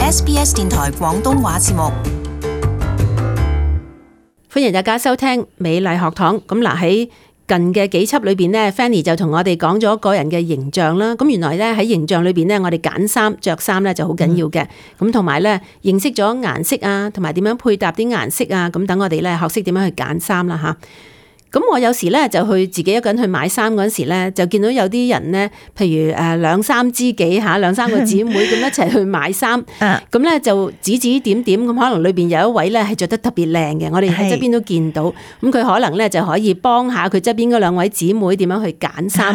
SBS 電台廣東話節目。歡迎大家收聽美麗學堂。咁嗱，喺近嘅幾輯裏邊呢 Fanny 就同我哋講咗個人嘅形象啦。咁原來咧喺形象裏邊呢，我哋揀衫着衫咧就好緊要嘅。咁同埋咧認識咗顏色啊，同埋點樣配搭啲顏色啊。咁等我哋咧學識點樣去揀衫啦吓。咁我有時咧就去自己一個人去買衫嗰陣時咧，就見到有啲人咧，譬如兩三知己嚇，兩三個姊妹咁一齊去買衫，咁咧就指指點點咁，可能裏邊有一位咧係着得特別靚嘅，我哋喺側邊都見到，咁佢可能咧就可以幫下佢側邊嗰兩位姊妹點樣去揀衫。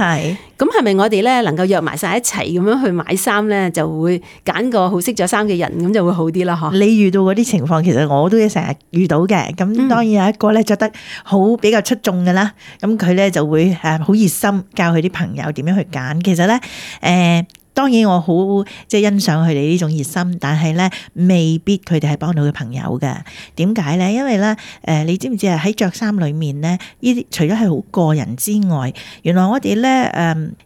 咁係咪我哋咧能夠約埋晒一齊咁樣去買衫咧，就會揀個好識着衫嘅人，咁就會好啲啦？嗬！你遇到嗰啲情況，其實我都成日遇到嘅。咁當然有一個咧着得好比較出眾嘅啦，咁佢咧就會好熱心教佢啲朋友點樣去揀。其實咧當然我好即係欣賞佢哋呢種熱心，但係咧未必佢哋係幫到佢朋友嘅。點解咧？因為咧你知唔知啊？喺着衫裏面咧，呢啲除咗係好個人之外，原來我哋咧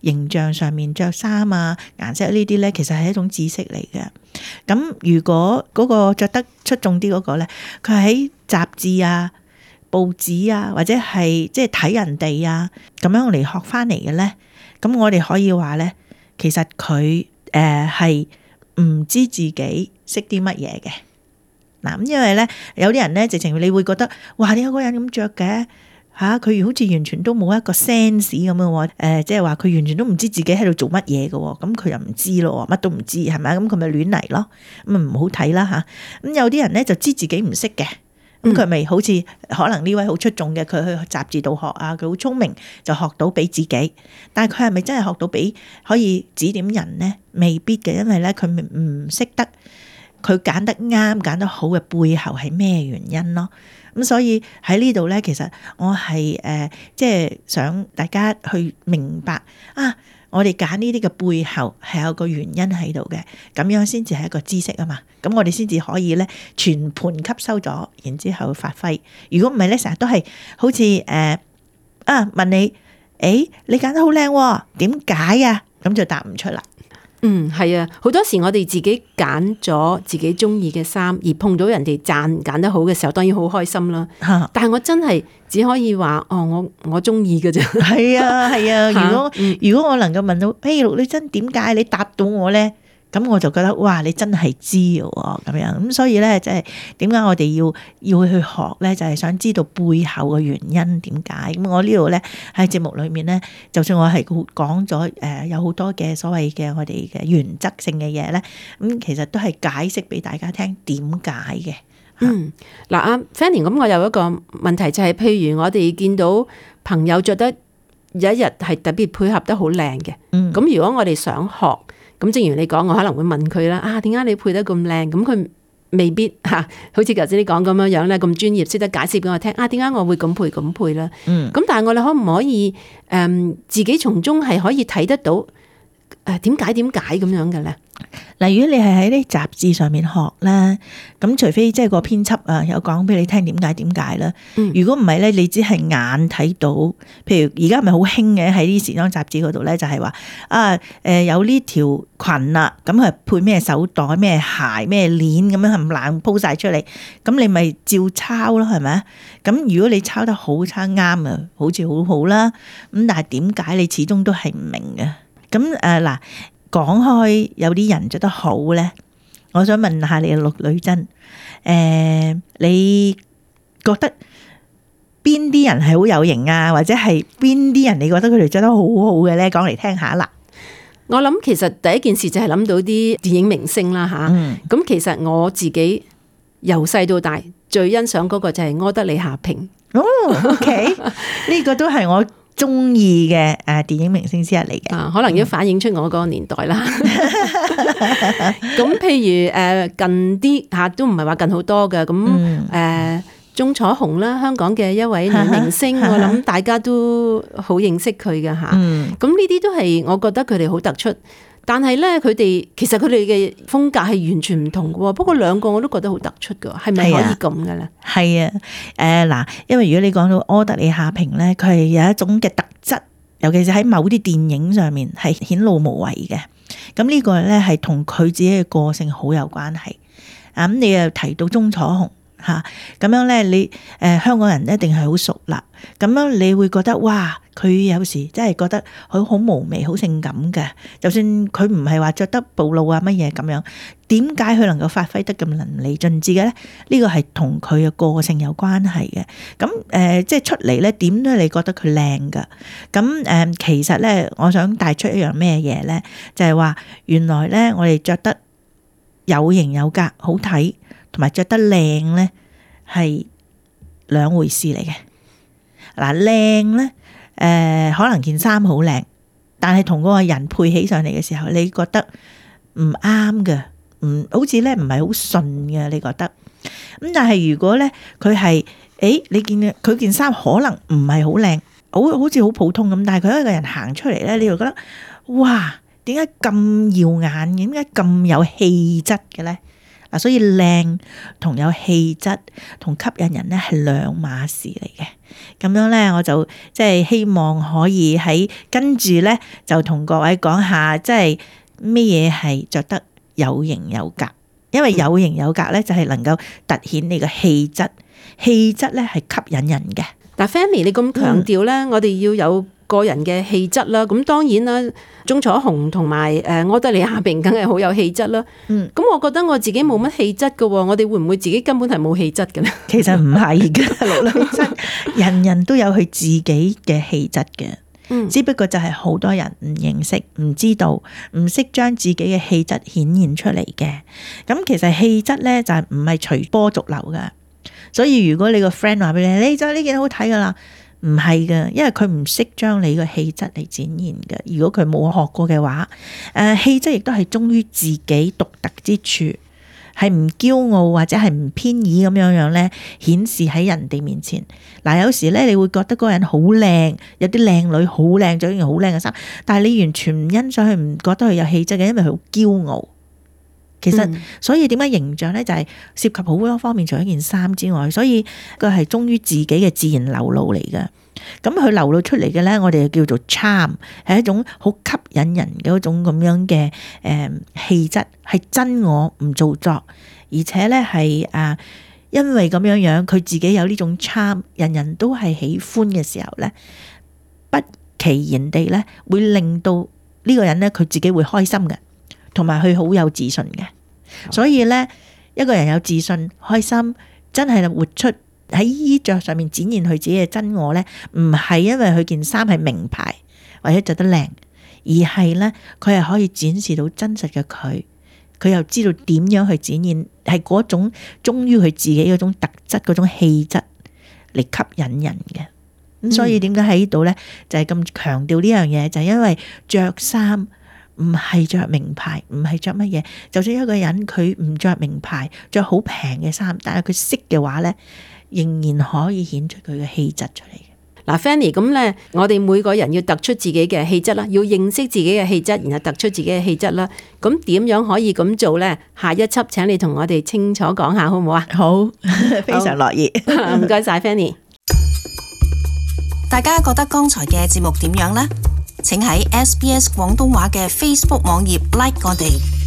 形象上面着衫啊、顏色呢啲咧，其實係一種知識嚟嘅。咁如果嗰個着得出眾啲嗰個咧，佢喺雜誌啊、報紙啊，或者係即係睇人哋啊咁樣嚟學翻嚟嘅咧，咁我哋可以話咧，其實佢係唔知自己識啲乜嘢嘅。嗱，咁因為咧有啲人咧直情你會覺得哇，點解嗰個人咁着嘅嚇？佢好似完全都冇一個 sense 咁樣喎。即係話佢完全都唔知自己喺度做乜嘢嘅喎。咁佢又唔知咯，乜都唔知係咪？咁佢咪亂嚟咯。咁啊唔好睇啦嚇。咁有啲人咧就知自己唔識嘅。咁佢咪好似可能呢位好出眾嘅，佢去雜誌度學啊，佢好聰明就學到俾自己，但係佢係咪真係學到俾可以指點人呢？未必嘅，因為咧佢唔識得佢揀得啱揀得好嘅背後係咩原因咯。咁所以喺呢度咧，其實我係即係想大家去明白啊。我哋揀呢啲嘅背後係有個原因喺度嘅，咁樣先至係一個知識啊嘛。咁我哋先至可以咧全盤吸收咗，然之後發揮。如果唔係咧，成日都係好似問你，你揀得好靚喎，點解啊？咁就答唔出啦。係啊，好多時我哋自己揀咗自己中意嘅衫，而碰到人哋讚揀得好嘅時候，當然好開心啦。但係我真係只可以話，我中意嘅啫。係啊。如果我能夠問到，陸女真點解你答到我咧？咁我就覺得哇，你真係知嘅喎，咁樣咁所以咧，即係點解我哋要去學咧？就係想知道背後嘅原因點解。咁我呢度咧喺節目裏面咧，就算我係講咗有好多嘅所謂嘅我哋嘅原則性嘅嘢咧，咁其實都係解釋俾大家聽點解嘅。嗱，阿 Fanny， 咁我有一個問題就係，譬如我哋見到朋友着得有一日係特別配合得好靚嘅，咁如果我哋想學。咁正如你講，我可能會問佢啦，點解你配得咁靚？咁佢未必好似頭先你講咁樣咧，咁專業識得解釋俾我聽。點解我會咁配啦？咁但係我哋可唔可以自己從中係可以睇得到點解咁樣嘅咧？嗱，如果你係喺啲雜誌上面學咧，咁除非即係個編輯有講俾你聽點解啦。如果唔係咧，你只係眼睇到，譬如而家咪好興嘅喺啲時裝雜誌嗰度咧，就係話有呢條裙啦，咁係配咩手袋、咩鞋、咩鏈咁樣冚唪唥鋪晒出嚟，咁你咪照抄咯，係咪？咁如果你抄得好抄啱啊，好似好好啦。咁但係點解你始終都係唔明嘅？咁嗱。講開有啲人着得好咧，我想問下你陸女真，你覺得邊啲人係好有型啊？或者係邊啲人你覺得佢哋着得好好嘅咧？講嚟聽下啦。我諗其實第一件事就係諗到啲電影明星啦吓。咁其實我自己由細到大最欣賞嗰個就係柯德莉夏萍。OK， 呢個都係我中意嘅電影明星之一嚟嘅，可能要反映出我嗰個年代啦。咁譬如近啲都唔係話近好多嘅，咁鐘楚紅啦，香港嘅一位女明星，我諗大家都好認識佢嘅吓。咁呢啲都係我覺得佢哋好突出。但係咧，其實佢哋嘅風格係完全唔同嘅喎。不過兩個我都覺得好突出嘅，係咪可以咁嘅咧？係啊，嗱，因為如果你講到柯德莉夏萍咧，佢係有一種嘅特質，尤其是喺某啲電影上面係顯露無遺嘅。咁呢個咧係同佢自己嘅個性好有關係。咁你又提到鐘楚紅嚇，咁樣咧你香港人一定係好熟啦。咁樣你會覺得哇，佢有時真係覺得佢好嫵媚、好性感嘅。就算佢唔係話着得暴露啊乜嘢咁樣，點解佢能夠發揮得咁淋漓盡致嘅咧？呢個係同佢嘅個性有關係嘅。咁即係出嚟咧，點都你覺得佢靚噶。咁其實咧，我想帶出一樣咩嘢咧，就係話原來咧，我哋着得有型有格、好睇，同埋着得靚咧，係兩回事嚟嘅。嗱，靚咧，可能件衫好靚，但係同嗰個人配起上嚟嘅時候，你覺得唔啱嘅，好似咧唔係好順嘅，你覺得。咁但係如果咧佢係，你見佢件衫可能唔係好靚，好似好普通咁，但係佢一個人行出嚟咧，你就覺得哇，點解咁耀眼？點解咁有氣質嘅咧？嗱，所以靚同有氣質同吸引人咧係兩碼事嚟嘅。咁樣咧，我就即係希望可以喺跟住咧，就同各位講下，即係咩嘢係着得有型有格。因為有型有格咧，就係能夠凸顯你嘅氣質，氣質咧係吸引人嘅。但 Fanny 你咁強調咧，我哋要有個人嘅氣質啦。咁當然啦，鐘楚紅同埋柯德莉夏萍梗係好有氣質啦。咁我覺得我自己冇乜氣質㗎喎，我哋會唔會自己根本係冇氣質嘅咧？其實唔係嘅，陸真，人人都有佢自己嘅氣質嘅。只不過就係好多人唔認識、唔知道、唔識將自己嘅氣質顯現出嚟嘅。咁其實氣質咧就係唔係隨波逐流嘅。所以如果你個 friend 話俾你，你就呢件好睇噶啦，唔係嘅，因為佢唔識將你嘅氣質嚟展現嘅。如果佢冇學過嘅話，氣質亦都係忠於自己獨特之處，係唔驕傲或者係唔偏倚咁樣咧，顯示喺人哋面前。嗱，有時咧你會覺得嗰個人好靚，有啲靚女好靚，着件好靚嘅衫，但係你完全唔欣賞佢，唔覺得佢有氣質嘅，因為佢好驕傲。其實所以點解形象咧就係涉及好多方面，除咗件衫之外，所以佢係忠於自己嘅自然流露嚟嘅。咁佢流露出嚟嘅咧，我哋就叫做 charm， 係一種好吸引人嘅一種咁樣嘅氣質，係真我唔做作，而且咧係因為咁樣樣佢自己有呢種 charm， 人人都係喜歡嘅時候咧，不其然地咧會令到呢個人咧佢自己會開心嘅。同埋佢好有自信嘅，所以咧一個人有自信、開心，真係活出喺衣着上面展現佢自己嘅真我咧，唔係因為佢件衫係名牌或者着得靚，而係咧佢係可以展示到真實嘅佢，佢又知道點樣去展現，係嗰種忠於佢自己嗰種特質、嗰種氣質嚟吸引人嘅。咁所以點解喺呢度咧就係咁強調呢樣嘢，就係因為着衫。唔係着名牌，唔係着乜嘢。就算一個人佢唔着名牌，着好平嘅衫，但係佢識嘅話咧，仍然可以顯出佢嘅氣質出嚟嘅。嗱 Fanny， 咁咧，我哋每個人要突出自己嘅氣質啦，要認識自己嘅氣質，然後突出自己嘅氣質啦。咁點樣可以咁做咧？下一輯請你同我哋清楚講下，好唔好啊？好，非常樂意。唔該晒 Fanny。大家覺得剛才嘅節目點樣呢？請喺SBS 廣東話嘅 Facebook 網頁 like 我哋。